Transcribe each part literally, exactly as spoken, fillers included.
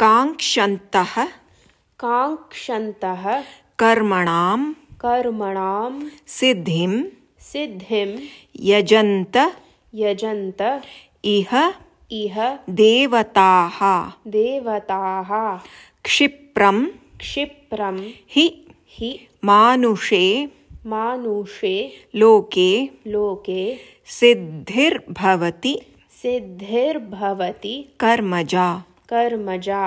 काङ्क्षन्तः काङ्क्षन्तः कर्मणां कर्मणां सिद्धिं सिद्धिं यजन्त यजन्त इह इह देवताः देवताः क्षिप्रं क्षिप्रं हि हि मानुषे मानुषे लोके लोके सिद्धिर्भवति सिद्धिर्भवति कर्मजा कर्मजा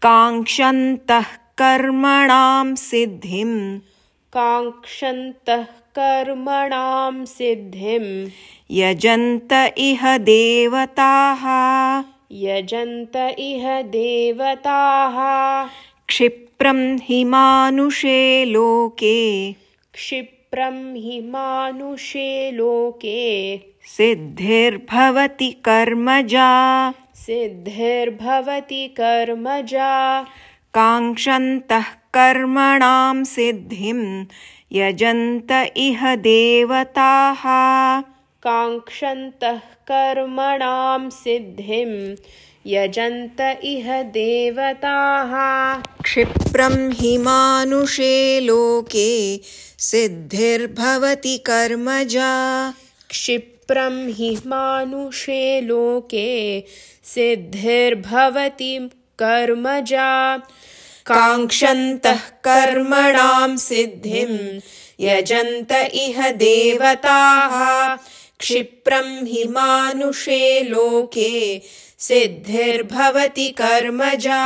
काङ्क्षन्तः कर्मणां सिद्धिं काङ्क्षन्तः कर्मणां सिद्धिं यजन्त इह देवताः यजन्त इह देवताः क्षिप्रं हि मानुषे लोके क्षिप्रं हि मानुषे लोके सिद्धिर्भवति कर्मजा सिद्धिर्भवति कर्मजा काङ्क्षन्तः कर्मणां सिद्धिं यजन्त इह देवताः काङ्क्षन्तः कर्मणां सिद्धिं यजन्त इह देवताः क्षिप्रं हि मानुषे लोके सिद्धिर्भवति कर्मजा क्षिप्रं हि मानुषे लोके सिद्धिर्भवति कर्मजा काङ्क्षन्तः कर्मणां सिद्धिं यजन्त इह देवताः क्षिप्रं हि मानुषे लोके सिद्धिर्भवति कर्मजा।